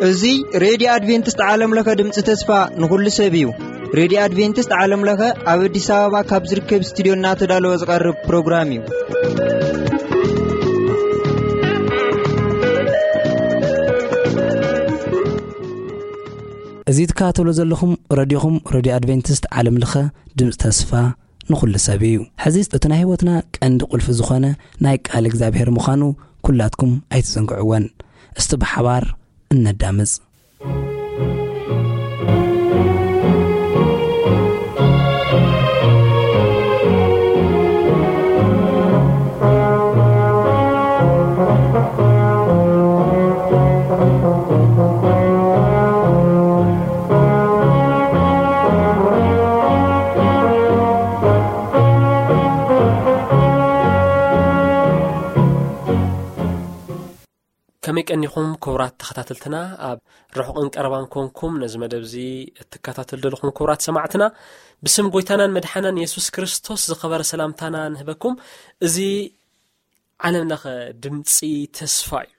እዚ ሬድዮ ኣድቬንቲስት ዓለም ለኸ ድምፂ ተስፋ ንኹሉ ሰብ እዩ። ሬድዮ ኣድቬንቲስት ዓለም ለኸ ኣብ ኣዲስ ኣበባ ካብ ዝርከብ ስቱዲዮ እናተዳለወ ዝቐርብ ፕሮግራም እዩ። እዚ ትከታተሉ ዘለኹም ረድዮኹም፣ ረድዮ ኣድቬንቲስት ዓለም ለኸ ድምፂ ተስፋ ንኹሉ ሰብ እዩ። ሕዚ እቲ ናይ ህይወትና ቀንዲ ቁልፊ ዝኾነ ናይ ቃል እግዚኣብሔር ምዃኑ ኩላትኩም ኣይትዘንግዕወን። እስቲ ብሓባር እነዳምፅ። ከመይ ቀኒኹም ክቡራት ተኸታተልትና? ኣብ ርሑቕን ቀረባን ኮንኩም ነዚ መደብ እዚ እትከታተሉ ዘለኹም ክቡራት ሰማዕትና፣ ብስም ጎይታናን መድሓናን የሱስ ክርስቶስ ዝኸበረ ሰላምታና ንህበኩም። እዚ ዓለም ለኸ ድምፂ ተስፋ እዩ።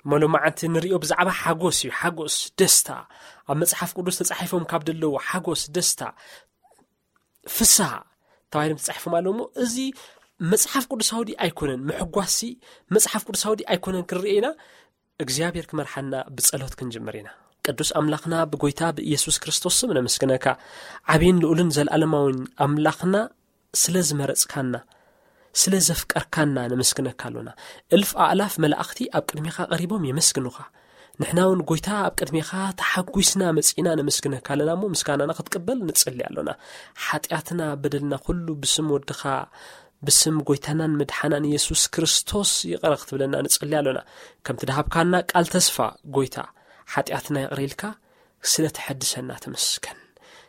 እሞ ሎማዓንቲ ንሪኦ ብዛዕባ ሓጎስ እዩ። ሓጎስ፣ ደስታ፣ ኣብ መጽሓፍ ቅዱስ ተጻሒፎም ካብ ደለዉ ሓጎስ፣ ደስታ፣ ፍስሃ ተባሂሎም ተጻሒፎም ኣለዉ። እሞ እዚ መጽሓፍ ቅዱሳዊ ድዩ ኣይኮነን? ምሕጓስሲ መጽሓፍ ቅዱሳዊ ድዩ ኣይኮነን? ክንርኢ ኢና። እግዚኣብሔር ክመርሓና ብጸሎት ክንጅምር ኢና። ቅዱስ ኣምላኽና ብጎይታ ብኢየሱስ ክርስቶስ ስም ነመስግነካ። ዓብይን ልዑልን ዘለዓለማዊን ኣምላኽና ስለ ዝመረጽካና፣ ስለ ዘፍቀርካና ነመስግነካ ኣሎና። እልፍ ኣእላፍ መላእኽቲ ኣብ ቅድሜኻ ቀሪቦም የመስግኑኻ። ንሕና እውን ጎይታ ኣብ ቅድሜኻ ተሓጒስና መጺእና ነመስግነካ ኣለና እሞ ምስጋናና ክትቅበል ንጽሊ ኣሎና። ሓጢኣትና በደልና ኩሉ ብስም ወድኻ ብስም ጎይታናን መድሓናን የሱስ ክርስቶስ ይቕረ ክትብለና ንጽሊ ኣሎና። ከምቲ ድሃብካና ቃል ተስፋ ጎይታ ሓጢኣትና ይቕረ ኢልካ ስለ ተሐድሰና ተመስገን።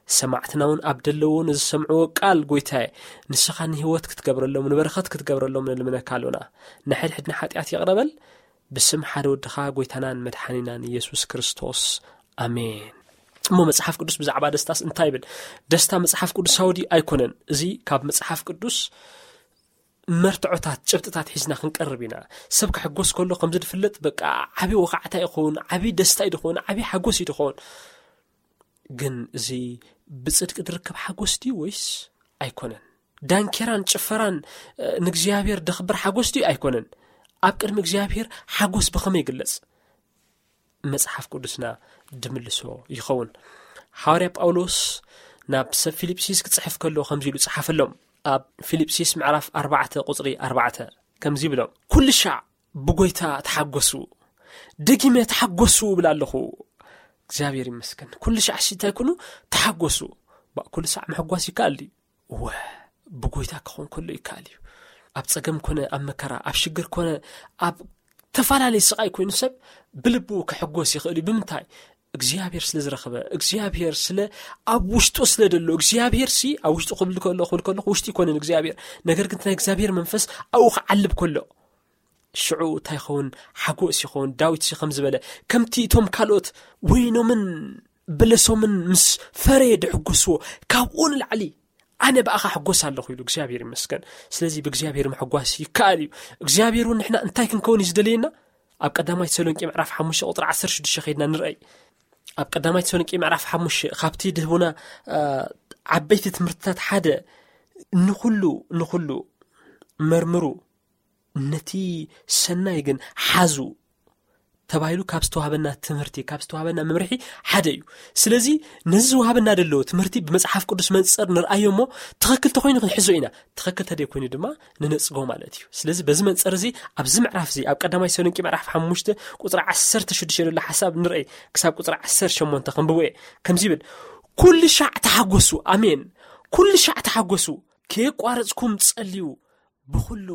ሰማዕትና እውን ኣብ ደለዎ ንዝሰምዕዎ ቃል ጎይታየ ንስኻ ንህይወት ክትገብረሎም ንበረኸት ክትገብረሎም ንልምነካ ኣሎና። ንሕድሕድና ሓጢኣት ይቕረ በል። ብስም ሓደ ወድኻ ጎይታናን መድሓኒናን ኢየሱስ ክርስቶስ ኣሜን። እሞ መጽሓፍ ቅዱስ ብዛዕባ ደስታስ እንታይ ይብል? ደስታ መጽሓፍ ቅዱሳዊ ድዩ ኣይኮነን? እዚ ካብ መጽሓፍ ቅዱስ መርትዖታት ጭብጥታት ሒዝና ክንቀርብ ኢና። ሰብ ክሕጎስ ከሎ ከምዚ ዝፍለጥ በቃ ዓቢ ወኻዕታ ይኸውን፣ ዓቢ ደስታ እዩ ዝኸውን፣ ዓቢ ሓጎስ እዩ ዝኸውን። ግን እዚ ብጽድቂ ዝርከብ ሓጎስ ድዩ ወይስ ኣይኮነን? ዳንኬራን ጭፈራን ንእግዚኣብሔር ደኽብር ሓጎስ ድዩ ኣይኮነን? ኣብ ቅድሚ እግዚኣብሔር ሓጎስ ብኸመይ ይግለጽ? መጽሓፍ ቅዱስና ድምልሶ ይኸውን። ሃዋርያ ጳውሎስ ናብ ሰብ ፊልጵስዩስ ክጽሕፍ ከሎ ከምዚ ኢሉ ጸሓፈሎም። ኣብ ፊልጵስዩስ ምዕራፍ ኣርባዕተ ቁጽሪ ኣርባዕተ ከምዚ ይብሎም፣ "ኩሉ ሻዕ ብጎይታ ተሓጎሱ፣ ደጊመ ተሓጎሱ እብል ኣለኹ።" እግዚኣብሔር ይመስገን። ኩሉ ሻዕ ሲ እንታይ ኩኑ ተሓጎሱ። ባ-፣ ኩሉ ሳዕ ምሕጓስ ይከኣል ድዩ? እወ፣ ብጎይታ ክኾን ከሎ ይከኣል እዩ። ኣብ ጸገም ኮነ ኣብ መከራ፣ ኣብ ሽግር ኮነ ኣብ ተፈላለየ ስቓይ ኮይኑ ሰብ ብልቡ ክሕጎስ ይኽእል እዩ። ብምንታይ? እግዚኣብሔር ስለ ዝረኸበ፣ እግዚኣብሔር ስለ ኣብ ውሽጡ ስለ ደሎ፣ እግዚኣብሔር ሲ ኣብ ውሽጡ ክብል ከሎ፣ ክብል ከሎ ውሽጡ ይኮንን እግዚኣብሔር። ነገር ግን ናይ እግዚኣብሔር መንፈስ ኣብኡ ክዓልብ ከሎ፣ ሽዑ እንታይ ይኸውን? ሓጎስ ይኸውን። ዳዊት ሲ ከም ዝበለ፣ ከምቲ እቶም ካልኦት ወይኖምን በለሶምን ምስ ፈረየ ድሕጎስዎ፣ ካብኡ ንላዕሊ ኣነ ብኣኻ ሕጎስ ኣለኹ ኢሉ። እግዚኣብሔር ይመስገን። ስለዚ ብእግዚኣብሔር ምሕጓስ ይከኣል እዩ። እግዚኣብሔር እውን ንሕና እንታይ ክንከውን እዩ ዝደልየና? ኣብ ቀዳማይ ተሰሎንቄ ምዕራፍ ሓሙሽተ ቁጥሪ ዓሰርተ ሽዱሽተ ከይድና ንርኣይ። ኣብ ቀዳማይ ተሰሎንቄ ምዕራፍ ሓሙሽተ ካብቲ ድህቡና፣ አ፣ ዓበይቲ ትምህርትታት ሓደ፣ ንኹሉ፣ ንኹሉ መርምሩ፣ ነቲ ሰናይ ግን ሓዙ ተባሂሉ ካብ ዝተዋህበና ትምህርቲ፣ ካብ ዝተዋህበና መምርሒ ሓደ እዩ። ስለዚ ነዚ ዝወሃበና ደሎ ትምህርቲ ብመጽሓፍ ቅዱስ መንጸር ንርኣዮ እሞ ትኽክል ተኾይኑ ክንሕዞ ኢና፣ ትኽክል ተደይ ኮይኑ ድማ ንነጽጎ ማለት እዩ። ስለዚ በዚ መንጸር እዚ ኣብዚ ምዕራፍ እዚ ኣብ ቀዳማይ ተሰሎንቄ ምዕራፍ ሓሙሽተ ቁጽሪ ዓሰርተ ሽዱሽተ ዘሎ ሓሳብ ንርኣይ ክሳብ ቁጽሪ ዓሰርተ ሸሞንተ ከንብቦ እየ። ከምዚ ይብል፣ "ኩሉ ሻዕ ተሓጎሱ።" ኣሜን። "ኩሉ ሻዕ ተሓጎሱ፣ ከየቋረጽኩም ጸልዩ፣ ብኹሉ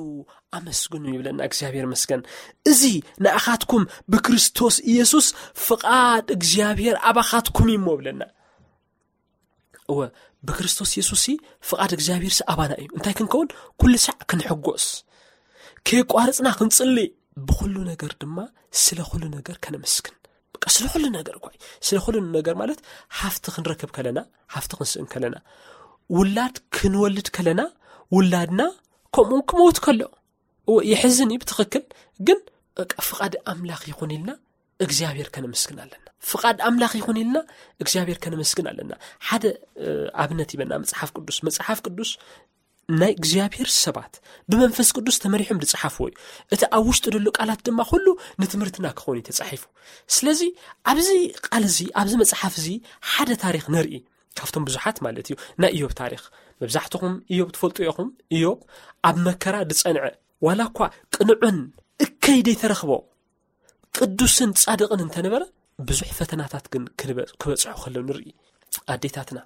ኣመስግኑ" ይብለና። እግዚኣብሔር መስገን። "እዚ ንኣኻትኩም ብክርስቶስ ኢየሱስ ፍቓድ እግዚኣብሔር ኣባኻትኩም እዩ" እሞ ብለና። እወ፣ ብክርስቶስ የሱስ ፍቓድ እግዚኣብሔር ኣባና እዩ። እንታይ ክንከውን? ኩሉ ሳዕ ክንሕጎስ፣ ከየቋረጽና ክንጽሊ፣ ብኹሉ ነገር ድማ ስለ ኩሉ ነገር ከነመስግን። በቃ ስለ ኩሉ ነገር እኮ እዩ። ስለ ኩሉ ነገር ማለት ሃፍቲ ክንረክብ ከለና፣ ሃፍቲ ክንስእን ከለና፣ ውላድ ክንወልድ ከለና፣ ውላድና ከምኡ ክመውት ከሎ። እወ፣ የሕዝን እዩ ብትኽክል። ግን በቃ ፍቓድ ኣምላኽ ይኹን ኢልና እግዚኣብሔር ከነመስግን ኣለና። ፍቓድ ኣምላኽ ይኹን ኢልና እግዚኣብሔር ከነመስግን ኣለና። ሓደ ኣብነት ይበና መጽሓፍ ቅዱስ። መጽሓፍ ቅዱስ ናይ እግዚኣብሔር ሰባት ብመንፈስ ቅዱስ ተመሪሖም ዝጸሓፍዎ እዩ። እቲ ኣብ ውሽጡ ዘሎ ቃላት ድማ ኩሉ ንትምህርትና ክኸውን እዩ ተጻሒፉ። ስለዚ ኣብዚ ቃል እዚ፣ ኣብዚ መጽሓፍ እዚ ሓደ ታሪኽ ንርኢ፣ ካብቶም ብዙሓት ማለት እዩ። ናይ ኢዮብ ታሪኽ፣ መብዛሕትኹም ኢዮብ ትፈልጡ ኢኹም። ኢዮብ ኣብ መከራ ዝጸንዐ፣ ዋላ እኳ ቅኑዕን እከይ ዘይተረኽቦ ቅዱስን ጻድቕን እንተነበረ፣ ብዙሕ ፈተናታት ግን ክበጽሑ ከለዉ ንርኢ። ኣዴታትና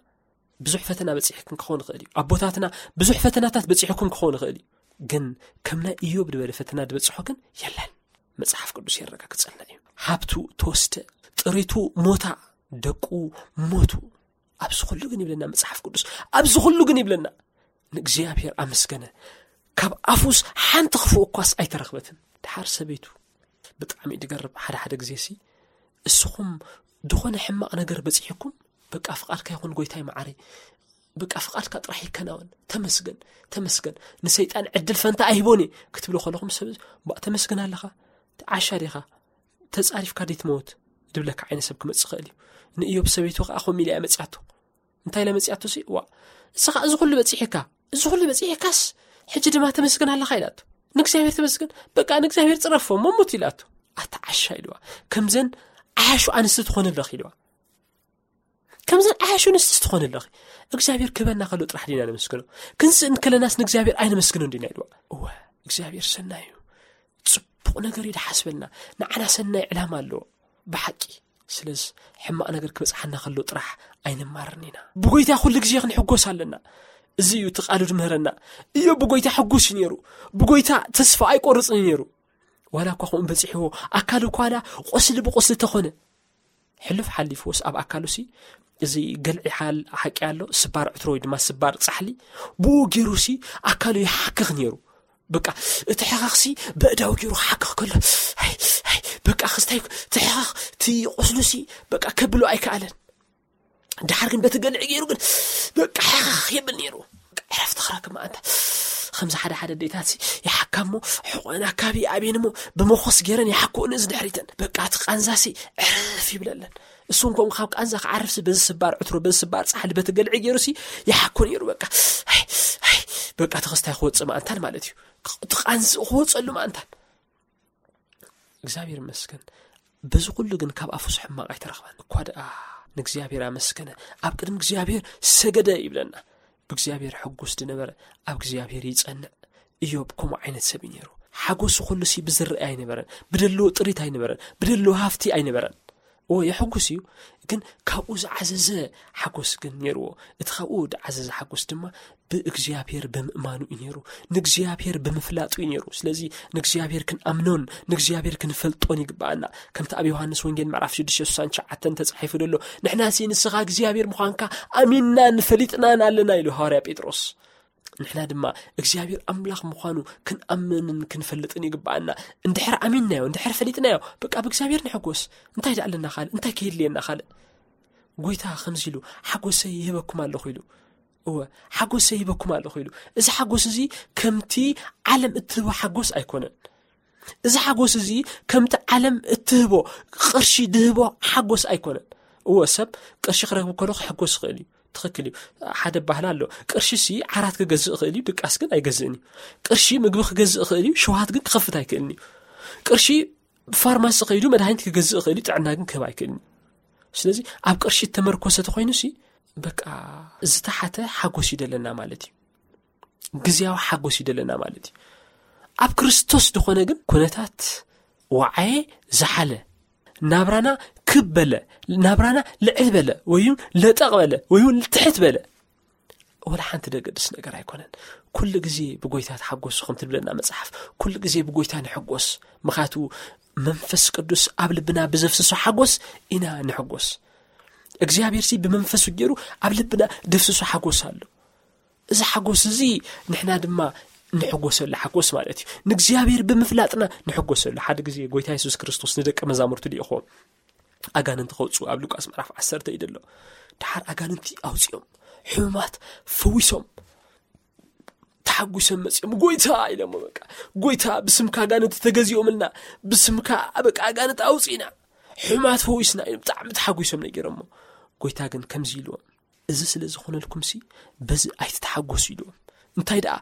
ብዙሕ ፈተና በጺሕክን ክኸውን ይኽእል እዩ። ኣቦታትና ብዙሕ ፈተናታት በጺሕኩም ክኸውን ይኽእል እዩ። ግን ከም ናይ ኢዮብ ዝበለ ፈተና ዝበጽሖ ግን የለን። መጽሓፍ ቅዱስ የረጋግጸልና እዩ። ሃብቱ ተወስደ፣ ጥሪቱ ሞታ፣ ደቁ ሞቱ። ኣብዚ ኩሉ ግን ይብለና መጽሓፍ ቅዱስ፣ ኣብዚ ኩሉ ግን ይብለና፣ ንእግዚኣብሔር ኣመስገነ። ካብ ኣፉስ ሓንቲ ክፉእ እኳስ ኣይተረኽበትን። ድሓር ሰበይቱ፣ ብጣዕሚ ድገርብ። ሓደ ሓደ ግዜ ሲ እስኹም ዝኾነ ሕማቕ ነገር በጺሕኩም፣ በቃ ፍቓድካ ይኹን ጎይታይ መዓረይ፣ በቃ ፍቓድካ ጥራሕ ይከናወን፣ ተመስገን፣ ተመስገን፣ ንሰይጣን ዕድል ፈንታ ኣይህቦን እየ ክትብሉ ከለኹም፣ ሰብ ባእ ተመስገን ኣለኻ፣ ዓሻ ዲኻ፣ ተጻሪፍካ ዲትመውት ድብለካ ዓይነት ሰብ ክመጽእ ይኽእል እዩ። ንእዮብ ሰበይቱ ከኣ ከምኡ ኢላ እያ መጽያቶ። እንታይ ኢላ መጽያቶ ሲ ዋ፣ እስኻ እዚ ኩሉ በጺሕካ፣ እዚ ኩሉ በጺሕካስ ሕጂ ድማ ተመስገን ኣለኻ ኢላቶ። ንእግዚኣብሔር ተመስገን፣ በቃ ንእግዚኣብሔር ጽረፎ እሞ ሙት ኢላቶ። ኣታ ዓሻ ኢልዋ። ከምዘን ዓያሹ ኣንስቲ ትኾንለኽ ኢልዋ። ከምዘን ዓያሹ ኣንስቲ ትኾንለኺ። እግዚኣብሔር ክህበና ከሎ ጥራሕ ዲና ነመስግኖ? ክንስእን ከለናስ ንእግዚኣብሔር ኣይነመስግኖን ዲና ኢልዋ። እወ፣ እግዚኣብሔር ሰናይ እዩ። ጽቡቕ ነገር እዩ ድሓስበልና። ንዓና ሰናይ ዕላማ ኣለዎ ብሓቂ። ስለዚ ሕማቕ ነገር ክበጽሓና ከሎ ጥራሕ ኣይንማርን ኢና። ብጎይታ ኩሉ ግዜ ክንሕጎስ ኣለና። እዚ እዩ እቲ ቃሉ ድምህረና። እዮ ብጎይታ ሕጉስ እዩ ነይሩ። ብጎይታ ተስፋ ኣይቆርጽን እዩ ነይሩ። ዋላ እኳ ከምኡ በጺሕዎ፣ ኣካሉ እኳ ዋላ ቁስሊ ብቁስሊ ተኾነ፣ ሕሉፍ ሓሊፍዎስ ኣብ ኣካሉ ሲ እዚ ገልዒ ሓል-፣ ሓቂ ኣሎ፣ ስባር ዕትሮ ወይ ድማ ስባር ጻሕሊ፣ ብኡ ገይሩ ሲ ኣካሉ ይሓክኽ ነይሩ። በቃ እቲ ሕኸኽ ሲ በእዳው ገይሩ ክሓክኽ ከሎ፣ ሃይ፣ ሃይ፣ በቃ ክስታይ እቲ ሕኸኽ፣ እቲ ቁስሉ ሲ በቃ ከብሎ ኣይከኣለን። ድሓር ግን በቲ ገልዒ ገይሩ ግን በቃ ሕኸኽ የብል ነይሩ። በቃ ዕረፍቲ ክረክብ መኣንታ። ከምዚ ሓደ ሓደ ኣዴታት ሲ ይሓካ እሞ፣ ሕቆአን ኣካቢ ኣብየን እሞ፣ ብመኾስ ገይረን ይሓክኡን እዚ ድሕሪተን። በቃ እቲ ቃንዛ ሲ ዕርፍ ይብለለን። እሱ እንኮም ካብ ቃንዛ ክዓርፍ ሲ በዚ ስባር ዕትሮ፣ በዚ ስባር ጻሕሊ፣ በቲ ገልዒ ገይሩ ሲ ይሓኮ ነይሩ። በቃ፣ ሃይ፣ ሃይ፣ በቃ እቲ ክስታይ ክወጽእ መኣንታን ማለት እዩ። እቲ ቃንዝኡ ክወጸሉ መኣንታን። እግዚኣብሔር ይመስገን። በዚ ኩሉ ግን ካብ ኣፉስ ሕማቕ ኣይተረኽበን። እኳ ደኣ ንእግዚኣብሔር ኣመስገነ፣ ኣብ ቅድሚ እግዚኣብሔር ሰገደ ይብለና። ብእግዚኣብሔር ሕጉስ ዝነበረ ኣብ እግዚኣብሔር ይጸንዕ። ኢዮብ ከምኡ ዓይነት ሰብ እዩ ነይሩ። ሓጎሱ ኩሉ ሲ ብዝረአ ኣይነበረን፣ ብደለዎ ጥሪት ኣይነበረን፣ ብደለዎ ሃፍቲ ኣይነበረን። እዎ የሕጉስ እዩ፣ ግን ካብኡ ዝዓዘዘ ሓጎስ ግን ነይርዎ። እቲ ካብኡ ዝዓዘዘ ሓጎስ ድማ ብእግዚኣብሔር ብምእማኑ እዩ ነይሩ፣ ንእግዚኣብሔር ብምፍላጡ እዩ ነይሩ። ስለዚ ንእግዚኣብሔር ክንኣምኖን ንእግዚኣብሔር ክንፈልጦን ይግብኣና። ከምቲ ኣብ ዮሃንስ ወንጌል ምዕራፍ ሽዱሽተ ስሳን ትሽዓተን ተጻሒፉ ዘሎ፣ "ንሕናሲ ንስኻ እግዚኣብሔር ምዃንካ ኣሚንናን ፈሊጥናን ኣለና" ኢሉ ሃዋርያ ጴጥሮስ። ንሕና ድማ እግዚኣብሔር ኣምላኽ ምዃኑ ክንኣምንን ክንፈልጥን ይግብኣና። እንድሕር ኣሚንናዮ፣ እንድሕር ፈሊጥናዮ፣ በቃ ብእግዚኣብሔር ንሕጎስ። እንታይ ደኣ ኣለና ካልእ? እንታይ ከየድልየና ካልእ? ጎይታ ከምዚ ኢሉ፣ "ሓጎሰይ ይህበኩም ኣለኹ" ኢሉ። እወ፣ "ሓጎሰይ ይህበኩም ኣለኹ" ኢሉ። እዚ ሓጎስ እዚ ከምቲ ዓለም እትህቦ ሓጎስ ኣይኮነን። እዚ ሓጎስ እዚ ከምቲ ዓለም እትህቦ፣ ቅርሺ ድህቦ ሓጎስ ኣይኮነን። እወ፣ ሰብ ቅርሺ ክረክብ ከሎ ክሕጎስ ይኽእል እዩ። ትኽክል እዩ። ሓደ ባህል ኣሎ። ቅርሺ ሲ ዓራት ክገዝእ ይኽእል እዩ፣ ድቃስ ግን ኣይገዝእን እዩ። ቅርሺ ምግቢ ክገዝእ ይኽእል እዩ፣ ሸውሃት ግን ክኸፍት ኣይክእልን እዩ። ቅርሺ ፋርማሲ ከይዱ መድሃኒት ክገዝእ ይኽእል እዩ፣ ጥዕና ግን ክህብ ኣይክእልን እዩ። ስለዚ ኣብ ቅርሺ እተመርኮሰ ተኾይኑ ሲ፣ በቃ ዝተሓተ ሓጎስ እዩ ደለና ማለት እዩ። ግዝያዊ ሓጎስ እዩ ደለና ማለት እዩ። ኣብ ክርስቶስ ዝኾነ ግን ኩነታት ወዓየ ዝሓለ፣ ናብራና ክብ በለ፣ ናብራና ልዕል በለ፣ ወይ እውን ለጠቕ በለ፣ ወይ እውን ትሕት በለ፣ ወላ ሓንቲ ደገድስ ነገር ኣይኮነን። ኩሉ ግዜ ብጎይታ ተሓጎሱ ከም ትብለና መጽሓፍ፣ ኩሉ ግዜ ብጎይታ ንሕጎስ። ምኽንያቱ መንፈስ ቅዱስ ኣብ ልብና ብዘፍስሶ ሓጎስ ኢና ንሕጎስ። እግዚኣብሔር ሲ ብመንፈሱ ገይሩ ኣብ ልብና ደፍስሶ ሓጎስ ኣሎ። እዚ ሓጎስ እዚ ንሕና ድማ ንሕጎሰሉ ሓጎስ ማለት እዩ። ንእግዚኣብሔር ብምፍላጥና ንሕጎሰሉ። ሓደ ግዜ ጎይታ የሱስ ክርስቶስ ንደቀ መዛሙርቱ ልኢኽዎም ኣጋንንቲ ከውጽኡ ኣብ ሉቃስ ምዕራፍ ዓሰርተ እዩ ዘሎ። ድሓር ኣጋንንቲ ኣውጺኦም፣ ሕሙማት ፈዊሶም፣ ተሓጒሶም መጺኦም፣ "ጎይታ" ኢሎሞ፣ በቃ፣ "ጎይታ፣ ብስምካ ኣጋንንቲ ተገዚኦምልና፣ ብስምካ፣ በቃ፣ ኣጋንንቲ ኣውጺእና፣ ሕማት ፈዊስና" ኢሎም ብጣዕሚ ተሓጒሶም ነጊሮሞ። ጎይታ ግን ከምዚ ኢልዎም፣ "እዚ ስለ ዝኾነልኩምሲ በዚ ኣይትተሓጎሱ" ኢልዎም። እንታይ ደኣ፣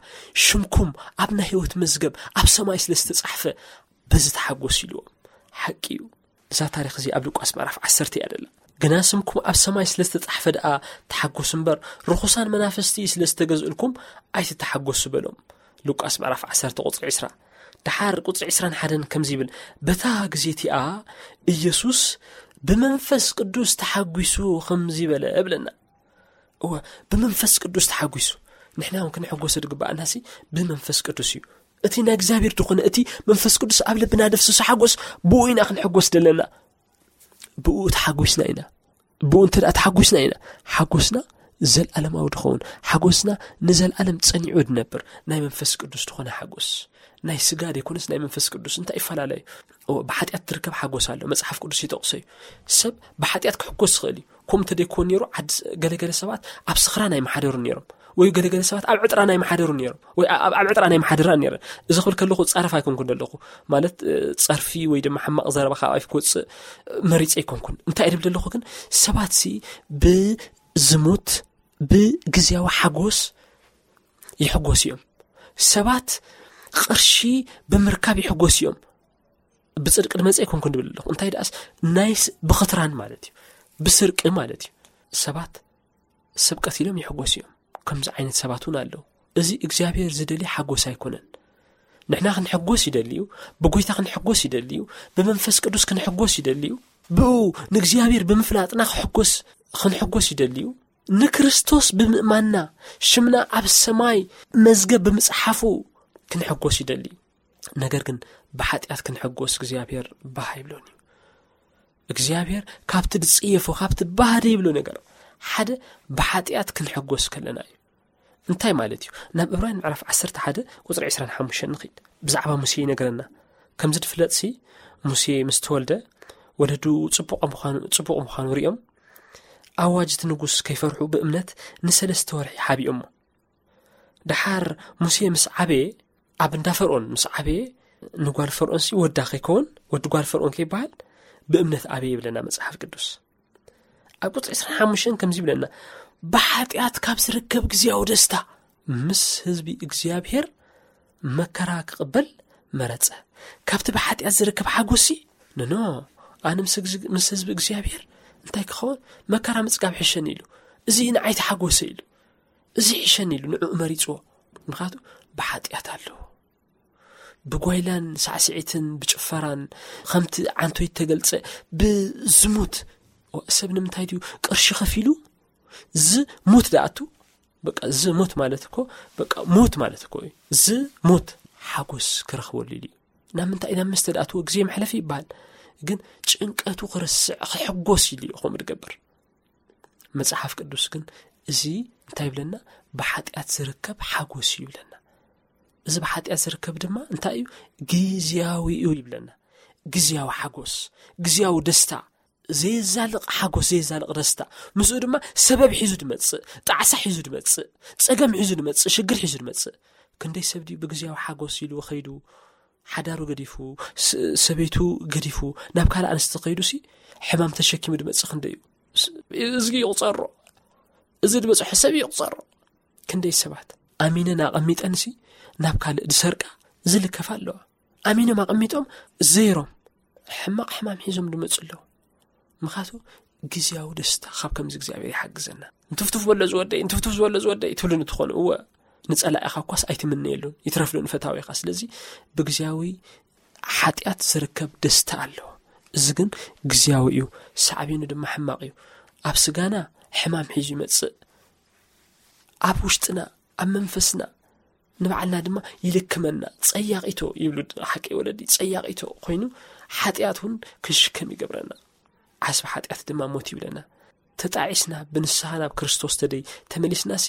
"ሽምኩም ኣብ ናይ ህይወት መዝገብ ኣብ ሰማይ ስለ ዝተጻሕፈ በዚ ተሓጎሱ" ኢልዎም። ሓቂ እዩ። እዛ ታሪኽ እዚ ኣብ ሉቃስ ምዕራፍ ዓሰርተ እያ ደላ። "ግና ስምኩም ኣብ ሰማይ ስለ ዝተጻሕፈ ደኣ ተሓጎሱ እምበር፣ ርኹሳን መናፍስቲ ስለ ዝተገዝእልኩም ኣይትተሓጎሱ" በሎም። ሉቃስ ምዕራፍ ዓሰርተ ቁጽሪ ዕስራ። ደሓር ቁጽሪ ዕስራን ሓደን ከምዚ ይብል፣ "በታ ግዜ እቲኣ ኢየሱስ ብመንፈስ ቅዱስ ተሓጒሱ ከምዚ በለ" እብለና። እወ፣ ብመንፈስ ቅዱስ ተሓጒሱ። ንሕና እውን ክንሕጎስ ዝግባኣናሲ ብመንፈስ ቅዱስ እዩ። እቲ ናይ እግዚኣብሔር ዝኾነ፣ እቲ መንፈስ ቅዱስ ኣብ ልብና ደፍስሱ ሓጎስ፣ ብኡ ኢና ክንሕጎስ ዘለና። ብኡ ተሓጒስና ኢና። ብኡ እንተ ደኣ ተሓጒስና ኢና፣ ሓጎስና ዘልኣለማዊ ድኸውን፣ ሓጎስና ንዘልኣለም ጸኒዑ ድነብር። ናይ መንፈስ ቅዱስ ዝኾነ ሓጎስ፣ ናይ ስጋ ደይኮነስ ናይ መንፈስ ቅዱስ። እንታይ ይፈላለ እዩ? እወ፣ ብሓጢኣት ትርከብ ሓጎስ ኣሎ። መጽሓፍ ቅዱስ ይጠቕሶ እዩ። ሰብ ብሓጢኣት ክሕጎስ ይኽእል እዩ። ከምኡ እንተደይኮን ነይሩ፣ ዓዲ ስ-፣ ገለገለ ሰባት ኣብ ስኽራን ኣይመሓደሩን ነይሮም። ወይ ገለገለ ሰባት ኣብ ዕጥራን ኣይመሓደሩን ነይሮም። ወይ ኣብ፣ ኣብ ዕጥራን ኣይመሓደራን ነይረን። እዚ ክብል ከለኹ ጻረፍ ኣይኮንኩን ዘለኹ። ማለት፣ እ፣ ጸርፊ ወይ ድማ ሕማቕ ዘረባ ካብ ኣፍ ክወጽእ መሪጸ ኣይኮንኩን። እንታይ እየ ዝብል ዘለኹ ግን፣ ሰባትሲ ብዝሙት፣ ብግዝያዊ ሓጎስ ይሕጎሱ እዮም። ሰባት ቅርሺ ብምርካብ ይሕጎሱ እዮም። ብጽድቂ ድመጸ ኣይኮንኩን ድብል ኣለኹ። እንታይ ደኣስ፣ ናይ ስ-፣ ብኽትራን ማለት እዩ። ብስርቂ ማለት እዩ። ሰባት ሰብ ቀቲሎም ይሕጎሱ እዮም። ከምዚ ዓይነት ሰባት እውን ኣለዉ። እዚ እግዚኣብሔር ዝደሊ ሓጎስ ኣይኮነን። ንሕና ክንሕጎስ ይደሊ እዩ። ብጎይታ ክንሕጎስ ይደሊ እዩ። ብመንፈስ ቅዱስ ክንሕጎስ ይደሊ እዩ። ብኡ ንእግዚኣብሔር ብምፍላጥና ክሕጎስ፣ ክንሕጎስ ይደሊ እዩ። ንክርስቶስ ብምእማንና ሽምና ኣብ ሰማይ መዝገብ ብምጽሓፉ ክንሕጎስ ይደሊ እዩ። ነገር ግን ብሓጢኣት ክንሕጎስ እግዚኣብሔር ባህ ይብሎን እዩ። እግዚኣብሔር ካብቲ ዝጽየፎ፣ ካብቲ ባህ ዘይብሎ ነገር ሓደ ብሓጢኣት ክንሕጎስ ከለና እዩ። እንታይ ማለት እዩ? ናብ ዕብራውያን ምዕራፍ ዓሰርተ ሓደ ቁጽሪ ዕስራን ሓሙሽተን ንኺድ። ብዛዕባ ሙሴ ይነግረና። ከምዚ ድፍለጥሲ፣ ሙሴ ምስ ተወልደ፣ ወለዱ ጽቡቕ ምዃኑ፣ ጽቡቕ ምዃኑ ሪኦም፣ ኣዋጅ እቲ ንጉስ ከይፈርሑ ብእምነት ንሰለስተ ወርሒ ሓቢኦሞ። ደሓር ሙሴ ምስ ዓበየ፣ ኣብ እንዳ ፈርኦን ምስ ዓበየ፣ ንጓል ፈርኦንሲ ወዳ ከይከውን፣ ወዲ ጓል ፈርኦን ከይበሃል፣ ብእምነት ኣበየ ይብለና መጽሓፍ ቅዱስ። ኣብ ቁጽሪ ዕስራን ሓሙሽተን ከምዚ ይብለና፣ "ብሓጢኣት ካብ ዝርከብ ግዜያዊ ደስታ ምስ ህዝቢ እግዚኣብሔር መከራ ክቕበል መረጸ።" ካብቲ ብሓጢኣት ዝርከብ ሓጎሲ፣ "ኖኖ፣ ኣነ ምስ ግዝ-፣ ምስ ህዝቢ እግዚኣብሔር እንታይ ክኸውን? መከራ ምጽጋብ ሕሸኒ" ኢሉ። "እዚ ንዓይ ተሓጎሰ" ኢሉ። "እዚ ሕሸኒ" ኢሉ ንዕኡ መሪጽዎ። ምኽንያቱ ብሓጢኣት ኣለዎ። ብጓይላን ሳዕስዒትን ብጭፈራን፣ ከምቲ ዓንቶይ ተገልጸ፣ ብዝሙት። ኦ፣ ሰብ ንምንታይ ድዩ ቅርሺ ከፊሉ ዝሙት ደኣቱ? በቃ ዝሙት ማለት እኮ፣ በቃ ሙት ማለት እኮ እዩ። ዝሙት ሓጎስ ክረኽበሉ ኢሉ እዩ። ናብ ምንታይ? ናብ መስተ ደኣትዎ ግዜ መሕለፊ ይበሃል። ግን ጭንቀቱ ክርስዕ፣ ክሕጎስ ኢሉ እዩ ከምኡ ዝገብር። መጽሓፍ ቅዱስ ግን እዚ እንታይ ይብለና? ብሓጢኣት ዝርከብ ሓጎስ እዩ ይብለና። እዚ ብሓጢኣት ዝርከብ ድማ እንታይ እዩ? ግዝያዊ እዩ ይብለና። ግዝያዊ ሓጎስ፣ ግዝያዊ ደስታ፣ ዘየዛልቕ ሓጎስ፣ ዘየዛልቕ ደስታ። ምስኡ ድማ ሰበብ ሒዙ ድመጽእ፣ ጣዕሳ ሒዙ ድመጽእ፣ ጸገም ሒዙ ድመጽእ፣ ሽግር ሒዙ ድመጽእ። ክንደይ ሰብ ድዩ ብግዝያዊ ሓጎስ ኢሉ ከይዱ፣ ሓዳሩ ገዲፉ፣ ስ-፣ ሰበይቱ ገዲፉ፣ ናብ ካልእ ኣንስቲ ከይዱሲ፣ ሕማም ተሸኪሙ ድመጽእ ክንደይ እዩ? ስ-፣ እዚ ይቑጸሮ። እዚ ዝበጽሖ ሰብ ይቑጸሮ። ክንደይ ሰባት ኣሚነን ኣቐሚጠንሲ ናብ ካልእ ዝሰርቃ ዝልከፋ ኣለዋ። ኣሚኖም ኣቐሚጦም ዘይሮም ሕማቕ ሕማም ሒዞም ድመጹ ኣለዉ። ምኽንያቱ ግዝያዊ ደስታ ካብ ከምዚ እግዚኣብሔር ይሓግዘና። "እንትፍትፍ በሎ ዝወደይ፣ እንትፍትፍ ዝበሎ ዝወደይ" ትብሉኒ ትኾኑ። እወ፣ ንጸላኢኻ እኳስ ኣይትምነየሉን፣ ይትረፍሉ ንፈታዊኻ። ስለዚ ብግዝያዊ ሓጢኣት ዝርከብ ደስታ ኣሎ። እዚ ግን ግዝያዊ እዩ፣ ሳዕቤኑ ድማ ሕማቕ እዩ። ኣብ ስጋና ሕማም ሒዙ ይመጽእ። ኣብ ውሽጥና፣ ኣብ መንፈስና፣ ንባዕልና ድማ ይልክመና። ጸያቒቶ ይብሉ ሓቂ ወለዲ፣ ጸያቒቶ ኮይኑ ሓጢኣት እውን ክንሽከም ይገብረና። ዓስቢ ሓጢኣት ድማ ሞት ይብለና። ተጣዒስና ብንስሓ ናብ ክርስቶስ ተደይ ተመሊስናሲ፣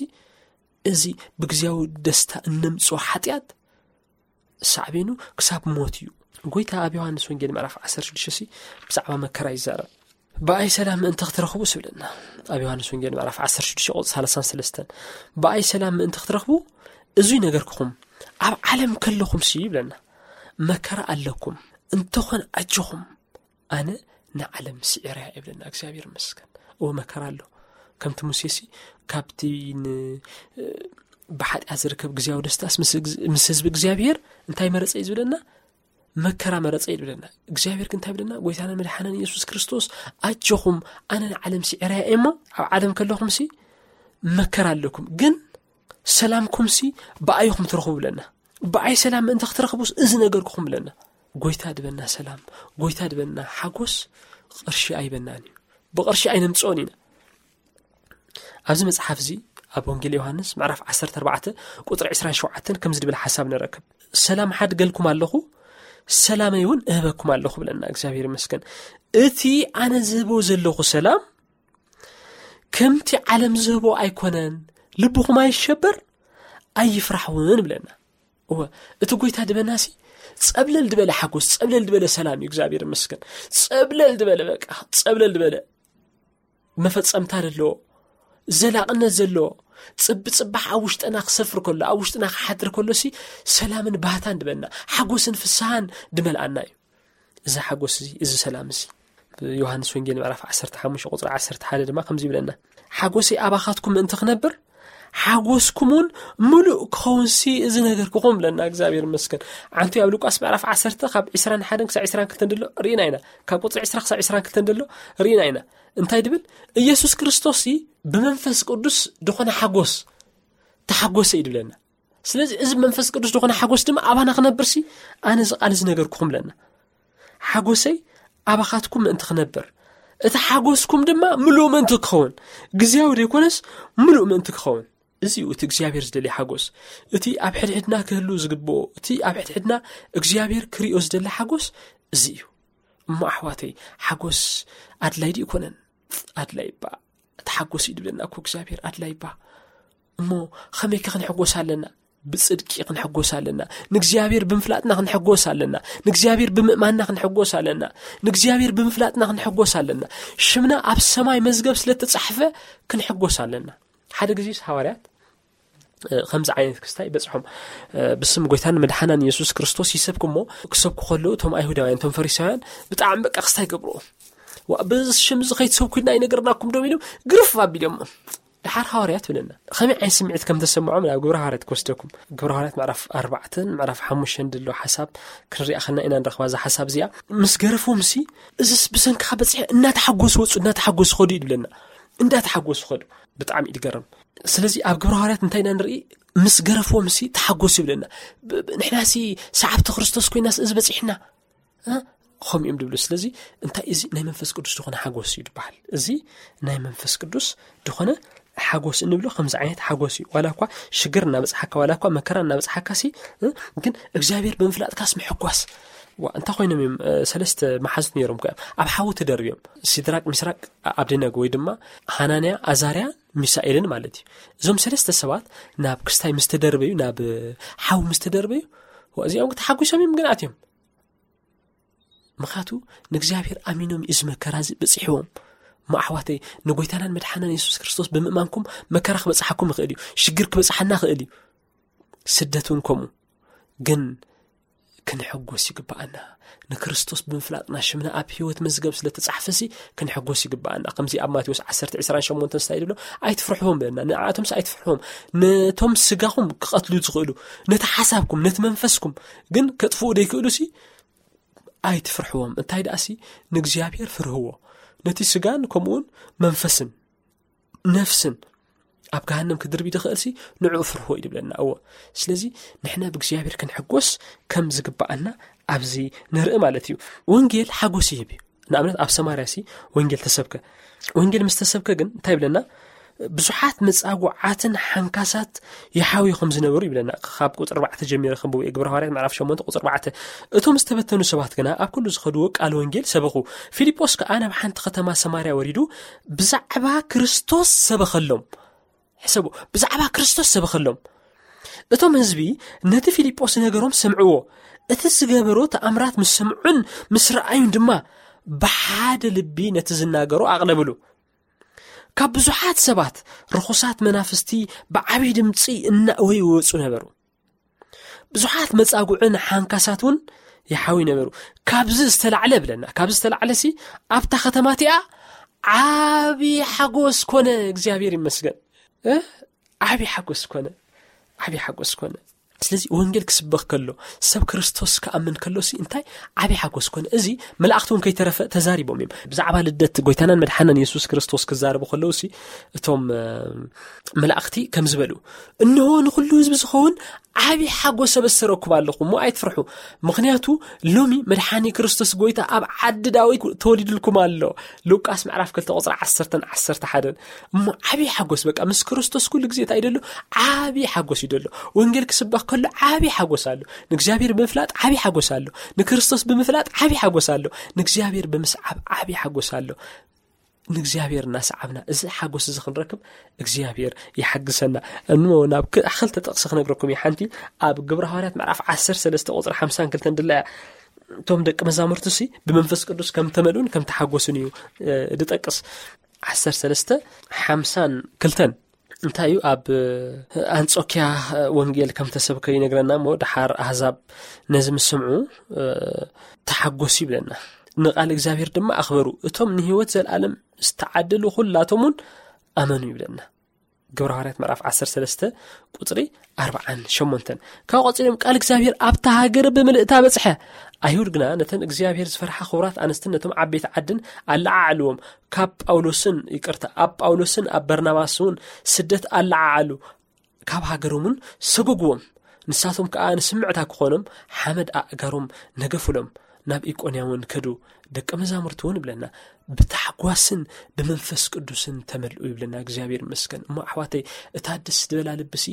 እዚ ብግዝያዊ ደስታ እነምጽኦ ሓጢኣት ሳዕቤኑ ክሳብ ሞት እዩ። ጎይታ ኣብ ዮሃንስ ወንጌል ምዕራፍ ዓሰርተ ሽዱሽተ ሲ ብዛዕባ መከራ ይዛረብ። "ብኣይ ሰላም ምእንቲ ክትረኽቡ" ስብለና። ኣብ ዮሃንስ ወንጌል ምዕራፍ ዓሰርተ ሽዱሽተ ቁጽሪ ሰላሳን ሰለስተን፣ "ብኣይ ሰላም ምእንቲ ክትረኽቡ እዙይ ነገርክኹም ኣብ ዓለም ከለኹም ሲ ይብለና፣ መከራ ኣለኩም፣ እንተኾነ ኣጆኹም፣ ኣነ ንዓለም ስዒረያ ይብለና። እግዚኣብሔር ይመስገን። እወ፣ መከራ ኣሎ። ከምቲ ሙሴ ሲ ካብቲ ን-፣ ብሓጢኣት ዝርከብ ግዜያዊ ደስታስ ምስ እግ-፣ ምስ ህዝቢ እግዚኣብሔር እንታይ መረጸ እዩ ዝብለና? መከራ መረጸ እዩ ዝብለና። እግዚኣብሔር ግን እንታይ ይብለና? ጎይታና መድሓናን ኢየሱስ ክርስቶስ፣ ኣጆኹም፣ ኣነ ንዓለም ስዒረያ እየ እሞ፣ ኣብ ዓለም ከለኹም ሲ መከራ ኣለኩም፣ ግን ሰላምኩም ሲ ብኣይኹም ትረኽቡ ብለና። ብኣይ ሰላም ምእንቲ ክትረኽቡስ እዚ ነገርኩኹም ብለና። ጎይታ ድበና ሰላም፣ ጎይታ ድበና ሓጎስ፣ ቅርሺ ኣይበናን እዩ። ብቅርሺ ኣይነምጽኦን ኢና። ኣብዚ መጽሓፍ እዚ ኣብ ወንጌል ዮሃንስ ምዕራፍ ዓሰርተ ኣርባዕተ ቁጽሪ ዕስራን ሸውዓተን ከምዚ ድብል ሓሳብ ንረክብ። "ሰላም ሓድገልኩም ኣለኹ፣ ሰላመይ እውን እህበኩም ኣለኹ" ብለና። እግዚኣብሔር ይመስገን። "እቲ ኣነ ዝህቦ ዘለኹ ሰላም ከምቲ ዓለም ዝህቦ ኣይኮነን። ልብኹም ኣይሸበር፣ ኣይፍራሕ እውን" ብለና። እወ፣ እቲ ጎይታ ድበናሲ ጸብለል ድበለ ሓጎስ፣ ጸብለል ድበለ ሰላም እዩ። እግዚኣብሔር ይመስገን። ጸብለል ድበለ፣ በቃ፣ ጸብለል ድበለ መፈጸምታ ዘለዎ፣ ዘላቕነት ዘለዎ፣ ጽቢ ጽባሕ ኣብ ውሽጥና ክሰፍር ከሎ፣ ኣብ ውሽጥና ክሓድር ከሎ ሲ ሰላምን ባህታን ድበና፣ ሓጎስን ፍስሃን ድመልኣና እዩ። እዚ ሓጎስ እዚ፣ እዚ ሰላም እዚ፣ ዮሃንስ ወንጌል ምዕራፍ ዓሰርተ ሓሙሽተ ቁጽሪ ዓሰርተ ሓደ ድማ ከምዚ ይብለና፣ "ሓጎሰይ ኣባኻትኩም ምእንቲ ክነብር፣ ሓጎስኩም እውን ምሉእ ክኸውን ሲ እዚ ነገርኩኹም" ብለና። እግዚኣብሔር ይመስገን። ዓንቱ ኣብ ሉቃስ ምዕራፍ ዓሰርተ ካብ ዕስራን ሓደን ክሳብ ዕስራን ክልተን ደሎ ርኢና ኢና። ካብ ቁጽሪ ዕስራ ክሳብ ዕስራን ክልተን ደሎ ርኢና ኢና። እንታይ ድብል? "ኢየሱስ ክርስቶስ ሲ ብመንፈስ ቅዱስ ድኾነ ሓጎስ ተሓጎሰ" እዩ ድብለና። ስለዚ እዚ መንፈስ ቅዱስ ድኾነ ሓጎስ ድማ ኣባና ክነብር ሲ ኣነ እዚ ቃል እዚ ነገርኩኹም ብለና። "ሓጎሰይ ኣባኻትኩም ምእንቲ ክነብር፣ እቲ ሓጎስኩም ድማ ምሉእ ምእንቲ ክኸውን፣ ግዜያዊ ዘይኮነስ ምሉእ ምእንቲ ክኸውን፣ እዚ እዩ እቲ እግዚኣብሔር ዝደልዮ ሓጎስ። እቲ ኣብ ሕድሕድና ክህሉ ዝግብኦ፣ እቲ ኣብ ሕድሕድና እግዚኣብሔር ክሪኦ ዝደሊ ሓጎስ እዚ እዩ።" እሞ ኣሕዋተይ፣ ሓጎስ ኣድላይ ድዩ ይኮነን? ኣድላይ እባ። እቲ ሓጎስ እዩ ድብለና እኮ እግዚኣብሔር፣ ኣድላይ እባ። እሞ ከመይከ ክንሕጎስ ኣለና? ብጽድቂ ክንሕጎስ ኣለና። ንእግዚኣብሔር ብምፍላጥና ክንሕጎስ ኣለና። ንእግዚኣብሔር ብምእማንና ክንሕጎስ ኣለና። ንእግዚኣብሔር ብምፍላጥና ክንሕጎስ ኣለና። ሽምና ኣብ ሰማይ መዝገብ ስለ እተጻሕፈ ክንሕጎስ ኣለና። ሓደ ግዜስ ሃዋርያት፣ እ፣ ከምዚ ዓይነት ክስታይ በጽሖም፣ እ፣ ብስም ጎይታን መድሓናን የሱስ ክርስቶስ ይሰብኩ እሞ፣ ክሰብኩ ከለዉ እቶም ኣይሁዳውያን፣ እቶም ፈሪሳውያን ብጣዕሚ በቃ ክስታይ ገብርዎ። "ዋ፣ በዚ ሽም እዚ ከይትሰብኩ ኢልና ኣይነገርናኩም ዶ?" ኢሎም ግርፍ ኣቢሎሞ። ደሓር ሃዋርያት ብለና። ከመይ ዓይነት ስምዒት ከም ተሰምዖም ናብ ግብረ ሃዋርያት ክወስደኩም። ግብረ ሃዋርያት ምዕራፍ ኣርባዕተን ምዕራፍ ሓሙሽተን ዘሎ ሓሳብ ክንሪኣ ከለና ኢና ንረኽባ እዛ ሓሳብ እዚኣ። ምስ ገረፍዎም ሲ፣ "እዝስ ብሰንክኻ በጺሐ" እናተሓጎሱ ወጹ፣ እናተሓጎሱ ኸዱ እዩ ዝብለና። እንዳተሓጎሱ ኸዱ። ብጣዕሚ እዩ ዝገርም። ስለዚ ኣብ ግብረ ሃዋርያት እንታይ ኢና ንርኢ? ምስ ገረፍዎም ሲ ተሓጎሱ ይብለና። ብ-፣ ብ-፣ ንሕና ሲ ሰዓብቲ ክርስቶስ ኮይናስ እዚ በጺሕና? እ? ከምኡ እዮም ድብሉ። ስለዚ እንታይ እዚ ናይ መንፈስ ቅዱስ ዝኾነ ሓጎስ እዩ ዝበሃል። እዚ ናይ መንፈስ ቅዱስ ዝኾነ ሓጎስ እንብሎ ከምዚ ዓይነት ሓጎስ እዩ። ዋላ እኳ ሽግር እናበጽሓካ፣ ዋላ እኳ መከራ እናበጽሓካ ሲ፣ እ? ግን እግዚኣብሔር ብምፍላጥካስ ምሕጓስ። ዋ፣ እንታይ ኮይኖም እዮም? እ፣ ሰለስተ መሓዙት ነይሮም እኮ እዮም። ኣብ ሓዊ ተደርብዮም። ሲድራቅ፣ ሚስራቅ፣ ኣብደናጎ ወይ ድማ ሃናንያ፣ ኣዛርያ፣ ሚሳኤልን ማለት እዩ። እዞም ሰለስተ ሰባት ናብ ክስታይ ምስ ተደርበዩ፣ ናብ ሓዊ ምስ ተደርበዩ፣ ዋ፣ እዚኦም ተሓጒሶም እዮም ግን ኣትዮም። ምኽንያቱ ንእግዚኣብሔር ኣሚኖም እዩ እዚ መከራ እዚ በጺሕዎም። እሞ ኣሕዋተይ፣ ንጎይታናን መድሓናን የሱስ ክርስቶስ ብምእማንኩም መከራ ክበጽሓኩም ይኽእል እዩ። ሽግር ክበጽሓና ይኽእል እዩ። ስደት እውን ከምኡ። ግን ክንሕጎስ ይግብኣና። ንክርስቶስ ብምፍላጥና ሽምና ኣብ ህይወት መዝገብ ስለ ተጻሕፈሲ ክንሕጎስ ይግብኣና። ከምዚ ኣብ ማቴዎስ ዓሰርተ ዕስራን ሸሞንተን ስታይ ድብሎ፣ "ኣይትፍርሕዎም" በለና። ንኣቶምስ ኣይትፍርሕዎም። ነቶም ስጋኹም ክቐትሉ ዝኽእሉ፣ ነቲ ሓሳብኩም፣ ነቲ መንፈስኩም ግን ከጥፍኡ ዘይክእሉሲ ኣይትፍርሕዎም። እንታይ ደኣሲ ንእግዚኣብሔር ፍርህዎ። ነቲ ስጋን ከምኡውን መንፈስን ነፍስን ኣብ ገሃነም ክድርቢ ድኽእልሲ ንዕኡ ፍርህዎ እዩ ድብለና። እዎ። ስለዚ ንሕና ብእግዚኣብሔር ክንሕጎስ ከም ዝግብኣና ኣብዚ ንርኢ ማለት እዩ። ወንጌል ሓጎስ ይህብ እዩ። ንኣብነት ኣብ ሰማርያ ሲ ወንጌል ተሰብከ። ወንጌል ምስ ተሰብከ ግን እንታይ ይብለና? ብዙሓት መጻጉዓትን ሓንካሳት ይሓውዩ ከም ዝነበሩ ይብለና። ካብ ቁጽሪ ኣርባዕተ ጀሚረ ከንብቦ እየ። ግብረ ሃዋርያት ምዕራፍ ሸሞንተ ቁጽሪ ኣርባዕተ። እቶም ዝተበተኑ ሰባት ግና ኣብ ኩሉ ዝኸድዎ ቃል ወንጌል ሰበኹ። ፊልጶስ ከኣ ናብ ሓንቲ ከተማ ሰማርያ ወሪዱ ብዛዕባ ክርስቶስ ሰበኸሎም። ሕሰቡ፣ ብዛዕባ ክርስቶስ ሰበኸሎም። እቶም ህዝቢ ነቲ ፊልጶስ ነገሮም ሰምዕዎ። እቲ ዝገበሮ ተኣምራት ምስ ሰምዑን ምስ ረኣዩን ድማ ብሓደ ልቢ ነቲ ዝናገሮ ኣቕለብሉ። ካብ ብዙሓት ሰባት ርኹሳት መናፍስቲ ብዓብዪ ድምፂ እናእወዩ ይወፁ ነበሩ። ብዙሓት መጻጉዕን ሓንካሳት እውን ይሓዊ ነበሩ። ካብዚ ዝተላዕለ ብለና፣ ካብዚ ዝተላዕለ ሲ ኣብታ ከተማ እቲኣ ዓቢ ሓጎስ ኮነ። እግዚኣብሔር ይመስገን። እ? ዓቢ ሓጎስ ኮነ። ዓቢ ሓጎስ ኮነ። ስለዚ ወንጌል ክስበኽ ከሎ፣ ሰብ ክርስቶስ ክኣምን ከሎ ሲ እንታይ ዓቢ ሓጎስ ኮነ። እዚ መላእኽቲ እውን ከይተረፈ ተዛሪቦም እዮም። ብዛዕባ ልደት ጎይታናን መድሓናን የሱስ ክርስቶስ ክዛረቡ ከለዉ ሲ እቶም፣ እ፣ መላእኽቲ ከም ዝበሉ፣ "እንሆ ንኹሉ ህዝቢ ዝኸውን ዓቢ ሓጎስ ኣበሰረኩም ኣለኹ፣ እሞ ኣይትፍርሑ። ምኽንያቱ ሎሚ መድሓኒ ክርስቶስ ጎይታ ኣብ ዓዲ ዳዊት ተወሊድልኩም ኣሎ።" ሉቃስ ምዕራፍ ክልተ ቁጽሪ ዓሰርተን ዓሰርተ ሓደን። እሞ ዓቢ ሓጎስ በቃ ምስ ክርስቶስ ኩሉ ግዜ እንታይ ደሎ? ዓቢ ሓጎስ እዩ ደሎ። ወንጌል ክስበኽ ከሎ ዓቢ ሓጎስ ኣሎ። ንእግዚኣብሔር ብምፍላጥ ዓቢ ሓጎስ ኣሎ። ንክርስቶስ ብምፍላጥ ዓቢ ሓጎስ ኣሎ። ንእግዚኣብሔር ብምስዓብ ዓቢ ሓጎስ ኣሎ። ንእግዚኣብሔር እናሰዓብና እዚ ሓጎስ እዚ ክንረክብ እግዚኣብሔር ይሓግዘና። እሞ ናብ ክ-፣ ክልተ ጥቕሲ ክነግረኩም እየ። ሓንቲ ኣብ ግብረ ሃዋርያት ምዕራፍ ዓሰርተ ሰለስተ ቁጽሪ ሓምሳን ክልተን ድላ እያ። እቶም ደቂ መዛሙርቱ ሲ ብመንፈስ ቅዱስ ከም ተመልኡን ከም ተሓጎሱን እዩ፣ እ፣ ድጠቅስ። ዓሰርተ ሰለስተ ሓምሳን ክልተን እንታይ እዩ? ኣብ፣ እ፣ ኣንጾኪያ፣ እ፣ ወንጌል ከም ተሰብከ ይነግረና። እሞ ደሓር ኣህዛብ ነዚ ምስ ሰምዑ፣ እ፣ ተሓጎሱ ይብለና። ንቓል እግዚኣብሔር ድማ ኣኽበሩ። እቶም ንህይወት ዘለኣለም ዝተዓደሉ ኩላቶም እውን ኣመኑ ይብለና። ግብረ ሃዋርያት ምዕራፍ ዓሰርተ ሰለስተ ቁጽሪ ኣርብዓን ሸሞንተን። ካብ ቀጺሎም ቃል እግዚኣብሔር ኣብታ ሃገር ብምልእታ በጽሐ። ኣይሁድ ግና ነተን እግዚኣብሔር ዝፈርሓ ክቡራት ኣንስትን ነቶም ዓበይቲ ዓድን ኣለዓዕልዎም። ካብ ጳውሎስን፣ ይቅርታ፣ ኣብ ጳውሎስን ኣብ በርናባስ እውን ስደት ኣለዓዓሉ። ካብ ሃገሮምን ሰጎግዎም። ንሳቶም ከኣ ንስምዕታ ክኾኖም ሓመድ ኣእጋሮም ነገፉሎም። ናብ ኢቆንያ እውን ከዱ። ደቀ መዛሙርቲ እውን ይብለና፣ ብታሕጓስን ብመንፈስ ቅዱስን ተመልኡ ይብለና። እግዚኣብሔር ይመስገን። እሞ ኣሕዋተይ፣ እታ ደስ ዝበላ ልብሲ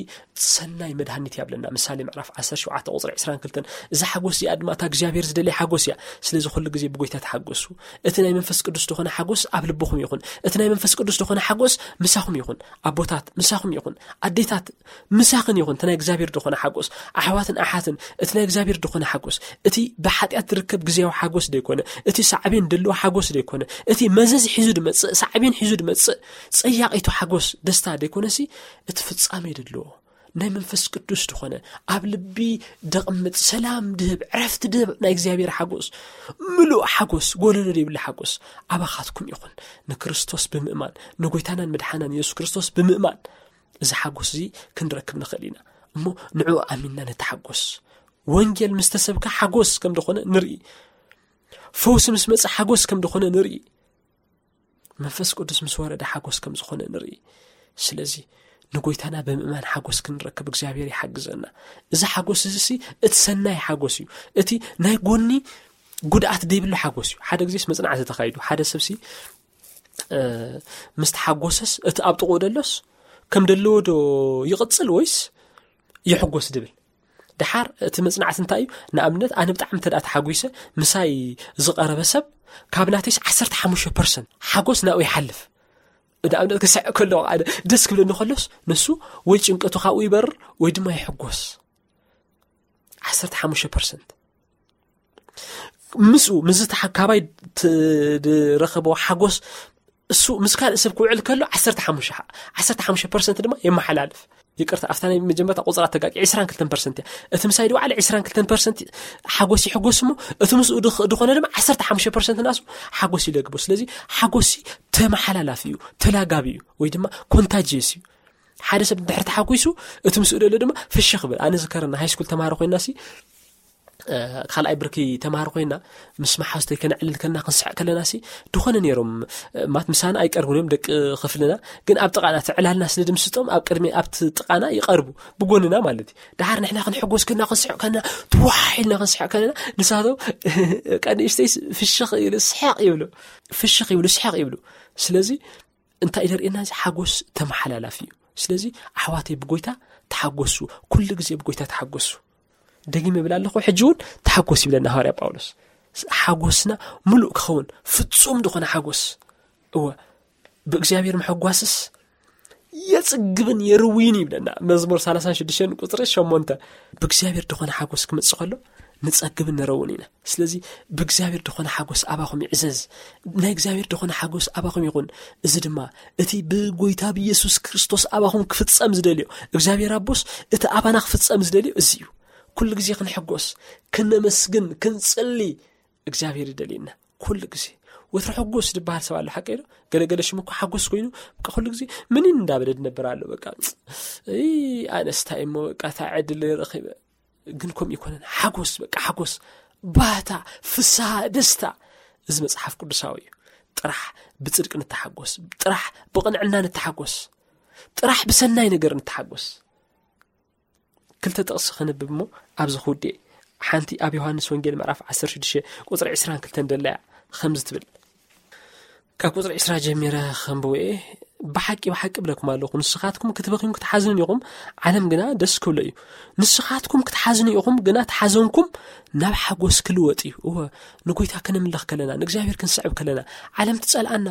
ሰናይ መድሃኒት እያ ብለና። ምሳሌ ምዕራፍ ዓሰርተ ሸውዓተ ቁጽሪ ዕስራን ክልተን። እዛ ሓጎስ እዚኣ ድማ እታ እግዚኣብሔር ዝደልያ ሓጎስ እያ። ስለዚ ኩሉ ግዜ ብጎይታ ተሓጎሱ። እቲ ናይ መንፈስ ቅዱስ ዝኾነ ሓጎስ ኣብ ልብኹም ይኹን። እቲ ናይ መንፈስ ቅዱስ ዝኾነ ሓጎስ ምሳኹም ይኹን። ኣቦታት ምሳኹም ይኹን። ኣዴታት ምሳኽን ይኹን። እቲ ናይ እግዚኣብሔር ዝኾነ ሓጎስ፣ ኣሕዋትን ኣሓትን፣ እቲ ናይ እግዚኣብሔር ዝኾነ ሓጎስ፣ እቲ ብሓጢኣት ዝርከብ ግዜያዊ ሓጎስ ደይኮነ፣ እቲ ሳዕቤን ደለዎ ሓጎስ ደይኮነ፣ እቲ መዘዝ ሒዙ ድመጽእ፣ ሳዕቤን ሒዙ ድመጽእ ጸያቒቱ ሓጎስ፣ ደስታ ደይኮነሲ፣ እቲ ፍጻሜ ደለዎ ናይ መንፈስ ቅዱስ ዝኾነ፣ ኣብ ልቢ ደቕምጥ፣ ሰላም ድህብ፣ ዕረፍቲ ድህብ ናይ እግዚኣብሔር ሓጎስ፣ ምሉእ ሓጎስ፣ ጎደሎ ዘይብሉ ሓጎስ ኣባኻትኩም ይኹን። ንክርስቶስ ብምእማን፣ ንጎይታናን መድሓናን የሱስ ክርስቶስ ብምእማን፣ እዚ ሓጎስ እዚ ክንረክብ ንኽእል ኢና። እሞ ንዕኡ ኣሚንና ንተሓጎስ። ወንጌል ምስ ተሰብከ ሓጎስ ከም ዝኾነ ንርኢ። ፈውሲ ምስ መጸ ሓጎስ ከም ዝኾነ ንርኢ። መንፈስ ቅዱስ ምስ ወረደ ሓጎስ ከም ዝኾነ ንርኢ። ስለዚ ንጎይታና ብምእማን ሓጎስ ክንረክብ እግዚኣብሔር ይሓግዘና። እዚ ሓጎስ እዚ ሲ እቲ ሰናይ ሓጎስ እዩ። እቲ ናይ ጎኒ ጉድኣት ዘይብሉ ሓጎስ እዩ። ሓደ ግዜስ መጽናዕቲ ተኻይዱ። ሓደ ሰብሲ፣ እ፣ ምስ ተሓጎሰስ እቲ ኣብ ጥቕኡ ደሎስ ከም ደለዎ ዶ ይቕጽል ወይስ ይሕጎስ ድብል? ደሓር እቲ መጽናዕቲ እንታይ እዩ? ንኣብነት ኣነ ብጣዕሚ እንተ ደኣ ተሓጒሰ፣ ምሳይ ዝቐረበ ሰብ ካብ ናተይስ ዓሰርተ ሓሙሽተ ፐርሰንት ሓጎስ ናብኡ ይሓልፍ። ንኣብነት ክስሕቕ ከለኹ ኣነ ደስ ክብለኒ ከሎስ ንሱ ወይ ጭንቀቱ ካብኡ ይበርር ወይ ድማ ይሕጎስ። ዓሰርተ ሓሙሽተ ፐርሰንት ምስኡ፣ ምስዚ ተሓ-፣ ካባይ ት-፣ ዝረኸቦ ሓጎስ እሱ ምስ ካልእ ሰብ ክውዕል ከሎ ዓሰርተ ሓሙሽተ ሓ-፣ ዓሰርተ ሓሙሽተ ፐርሰንት ድማ የመሓላልፍ። ይቅርታ፣ ኣብታ ናይ መጀመርታ ቁጽራ ተጋቂ ዕስራን ክልተን ፐርሰንት እያ። እቲ ምሳይ ድወዓለ ዕስራን ክልተን ፐርሰንት ሓጎስ ይሕጎስ እሞ፣ እቲ ምስኡ ድኽ-፣ ድኾነ ድማ ዓሰርተ ሓሙሽተ ፐርሰንት ናሱ ሓጎስ ይለግቦ። ስለዚ ሓጎስ ተመሓላላፊ እዩ፣ ተላጋቢ እዩ፣ ወይ ድማ ኮንታጅየስ እዩ። ሓደ ሰብ እንድሕር ተሓጒሱ፣ እቲ ምስኡ ደሎ ድማ ፍሽኽ ይብል። ኣነ ዝከረና፣ ሃይስኩል ተማሃሮ ኮይና ሲ፣ እ፣ ካልኣይ ብርኪ ተማሃሮ ኮይና፣ ምስ መሓዝተይ ከነዕልል ከለና፣ ክንስሕቕ ከለና ሲ፣ ድኾነ ነይሮም፣ እ፣ ማት ምሳና ኣይቀርቡን እዮም ደቂ ክፍልና፣ ግን ኣብ ጥቓና፣ እቲ ዕላልና ስለ ድምስጦም፣ ኣብ ቅድሚ፣ ኣብቲ ጥቓና ይቐርቡ፣ ብጎንና ማለት እዩ። ደሓር ንሕና ክንሕጎስ ከለና፣ ክንስሕቕ ከለና፣ ትዋሕ ኢልና ክንስሕቕ ከለና፣ ንሳቶም፣ ቀንእሽተይ ፍሽኽ ይብሉ፣ ስሕቕ ይብሉ፣ ፍሽኽ ይብሉ፣ ስሕቕ ይብሉ። ስለዚ፣ እንታይ ደርእየና? እዚ ሓጎስ ተመሓላላፊ እዩ። ስለዚ ኣሕዋተይ ብጎይታ ተሓጎሱ፣ ኩሉ ግዜ ብጎይታ ተሓጎሱ። ደጊመ እብል ኣለኹ፣ ሕጂ እውን ተሓጎስ ይብለና ሃዋርያ ጳውሎስ። ሓጎስና ምሉእ ክኸውን፣ ፍጹም ዝኾነ ሓጎስ። እወ፣ ብእግዚኣብሔር ምሕጓስስ የጽግብን የርውይን ይብለና መዝሙር ሰላሳን ሽዱሽተን ቁጽሪ ሸሞንተ። ብእግዚኣብሔር ዝኾነ ሓጎስ ክመጽእ ከሎ ንጸግብን ንረውን ኢና። ስለዚ ብእግዚኣብሔር ዝኾነ ሓጎስ ኣባኹም ይዕዘዝ። ናይ እግዚኣብሔር ዝኾነ ሓጎስ ኣባኹም ይኹን። እዚ ድማ እቲ ብጎይታ ብኢየሱስ ክርስቶስ ኣባኹም ክፍጸም ዝደልዮ እግዚኣብሔር ኣቦስ እቲ ኣባና ክፍጸም ዝደልዮ እዚ እዩ። ኩሉ ግዜ ክንሕጎስ፣ ክነመስግን፣ ክንጽሊ እግዚኣብሔር ይደልየና። ኩሉ ግዜ ወትሩ ሕጎስ ዝበሃል ሰብ ኣሎ፣ ሓቀይ ዶ? ገለገለ ሽሙ እኮ ሓጎስ ኮይኑ፣ በቃ ኩሉ ግዜ ምንን እንዳበለ ዝነብር ኣሎ። በቃ፣ "እይ፣ ኣነስ እንታይ እሞ፣ በቃ፣ እታ ዕድል ረኺበ?" ግን ከምኡ ይኮነን። ሓጎስ፣ በቃ ሓጎስ፣ ባህታ፣ ፍስሃ፣ ደስታ። እዚ መጽሓፍ ቅዱሳዊ እዩ። ጥራሕ ብጽድቂ ንተሓጎስ፣ ጥራሕ ብቕንዕና ንተሓጎስ፣ ጥራሕ ብሰናይ ነገር ንተሓጎስ። ክልተ ጥቕሲ ከነብብ እሞ ኣብዚ ክውድእ። ሓንቲ ኣብ ዮሃንስ ወንጌል ምዕራፍ ዓሰርተ ሽዱሽተ ቁጽሪ ዕስራን ክልተን ደለያ ከምዚ ትብል። ካብ ቁጽሪ ዕስራ ጀሚረ ከንብቦ እየ። "ብሓቂ፣ ብሓቂ እብለኩም ኣለኹ፣ ንስኻትኩም ክትበኽዩን ክትሓዝኑን ኢኹም፣ ዓለም ግና ደስ ክብሎ እዩ። ንስኻትኩም ክትሓዝኑ ኢኹም፣ ግና እቲ ሓዘንኩም ናብ ሓጎስ ክልወጥ እዩ።" እወ፣ ንጎይታ ከነምልኽ ከለና፣ ንእግዚኣብሔር ክንስዕብ ከለና፣ ዓለም ትጸልኣና።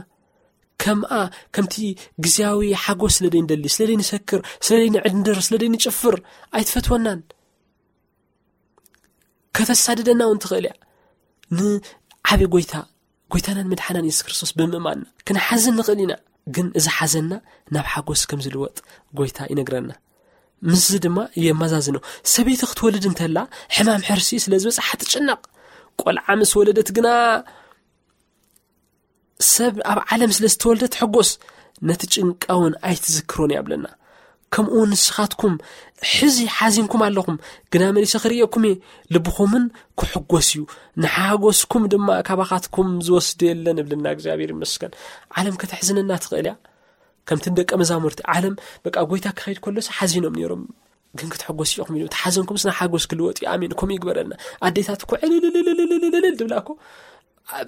ከምኣ፣ ከምቲ ግዜያዊ ሓጎስ ስለ ደይንደሊ፣ ስለ ደይንሰክር፣ ስለ ደይንዕድንድር፣ ስለ ደይንጭፍር ኣይትፈትወናን። ከተሳድደና እውን ትኽእል እያ። ንዓቢ ጎይታ፣ ጎይታናን መድሓናን የሱስ ክርስቶስ ብምእማንና ክንሓዝን ንኽእል ኢና። ግን እዚ ሓዘንና ናብ ሓጎስ ከም ዝልወጥ ጎይታ ይነግረና። ምስዚ ድማ የመዛዝኖ። ሰበይቲ ክትወልድ እንተላ ሕማም ሕርሲ ስለ ዝበጽሓ ትጭነቕ። ቆልዓ ምስ ወለደት ግና ሰብ ኣብ ዓለም ስለ ዝተወልደ ትሕጎስ፣ ነቲ ጭንቃ እውን ኣይትዝክሮን እያ ብለና። ከምኡ ንስኻትኩም ሕዚ ሓዚንኩም ኣለኹም፣ ግና መሊሰ ክርእየኩም እየ፣ ልብኹምን ክሕጎስ እዩ፣ ንሓጎስኩም ድማ ካባኻትኩም ዝወስዶ የለን እብለና። እግዚኣብሔር ይመስገን። ዓለም ከተሕዝነና ትኽእል እያ። ከምቲ ንደቀ መዛሙርቲ ዓለም በቃ ጎይታ ክኸይድ ከሎስ ሓዚኖም ነይሮም፣ ግን ክትሕጎስ ኢኹም ኢሉ። እቲ ሓዘንኩም ስና ሓጎስ ክልወጥ እዩ። ኣሜን። ከምኡ ይግበረልና። ኣዴታት እኮ ዕልልልልልልልል ድብላ እኮ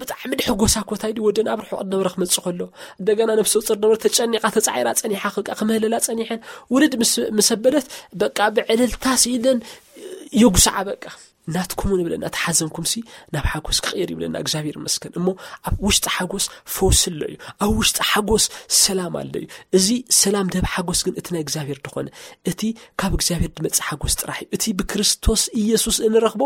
ብጣዕሚ ድሕጎሳ እኮ እንታይ ድዩ ወደን ኣብ ርሑቕ ድነበረ ክመጽእ ከሎ፣ እንደገና ነፍሰ ጡር ነበረ ተጨኒቓ ተጻዒራ ጸኒሓ፣ ከቃ ክምህለላ ጸኒሐን ውልድ ምስ፣ ምስ ኣበለት በቃ ብዕልልታ ስኢለን የጉስዓ። በቃ ናትኩም ንብለና፣ እቲ ሓዘንኩም ሲ ናብ ሓጎስ ክቕየር ይብለና። እግዚኣብሔር ይመስገን። እሞ ኣብ ውሽጢ ሓጎስ ፈውሲ ኣሎ እዩ። ኣብ ውሽጢ ሓጎስ ሰላም ኣሎ እዩ። እዚ ሰላም ደብ ሓጎስ ግን እቲ ናይ እግዚኣብሔር ድኾነ፣ እቲ ካብ እግዚኣብሔር ድመጽእ ሓጎስ ጥራሕ እዩ። እቲ ብክርስቶስ ኢየሱስ እንረኽቦ፣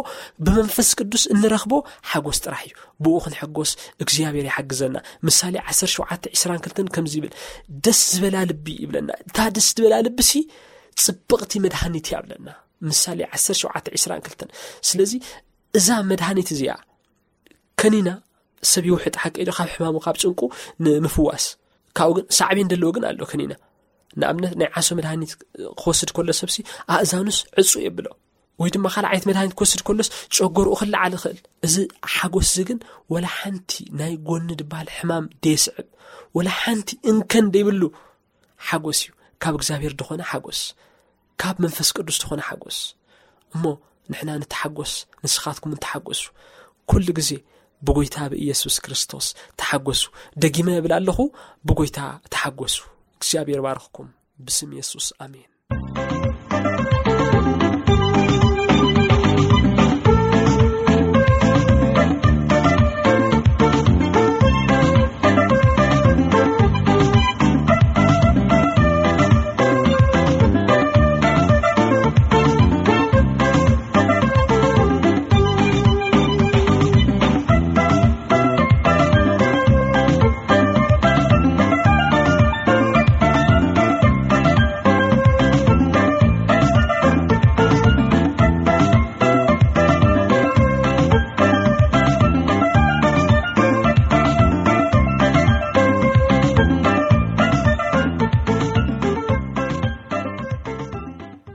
ብመንፈስ ቅዱስ እንረኽቦ ሓጎስ ጥራሕ እዩ። ብኡ ክንሕጎስ እግዚኣብሔር ይሓግዘና። ምሳሌ ዓሰርተ ሸውዓተ ዕስራን ክልተን ከምዚ ይብል፣ "ደስ ዝበላ ልቢ" ይብለና። እታ ደስ ዝበላ ልቢ ሲ ጽብቕቲ መድሃኒት እያ ብለና። ምሳሌ ዓሰርተ ሸውዓተ ዕስራን ክልተን። ስለዚ እዛ መድሃኒት እዚኣ ከኒና ሰብ ይውሕጥ ሓቂ ዶ ካብ ሕማሙ ካብ ጭንቁ ንምፍዋስ። ካብኡ ግን ሳዕቤን ዘለዎ ግን ኣሎ ከኒና። ንኣብነት ናይ ዓሶ መድሃኒት ክወስድ ከሎ ሰብሲ ኣእዛኑስ ዕጹ የብሎ። ወይ ድማ ካልእ ዓይነት መድሃኒት ክወስድ ከሎስ ጨጎርኡ ክለዓል ይኽእል። እዚ ሓጎስ እዚ ግን ወላ ሓንቲ ናይ ጎኒ ድበሃል ሕማም ደየስዕብ፣ ወላ ሓንቲ እንከን ደይብሉ ሓጎስ እዩ። ካብ እግዚኣብሔር ድኾነ ሓጎስ፣ ካብ መንፈስ ቅዱስ ድኾነ ሓጎስ። እሞ ንሕና ንተሓጎስ፣ ንስኻትኩም እውን ተሓጎሱ። ኩሉ ግዜ ብጎይታ ብኢየሱስ ክርስቶስ ተሓጎሱ። ደጊመ እብል ኣለኹ፣ ብጎይታ ተሓጎሱ። እግዚኣብሔር ባርኽኩም። ብስም የሱስ፣ ኣሜን።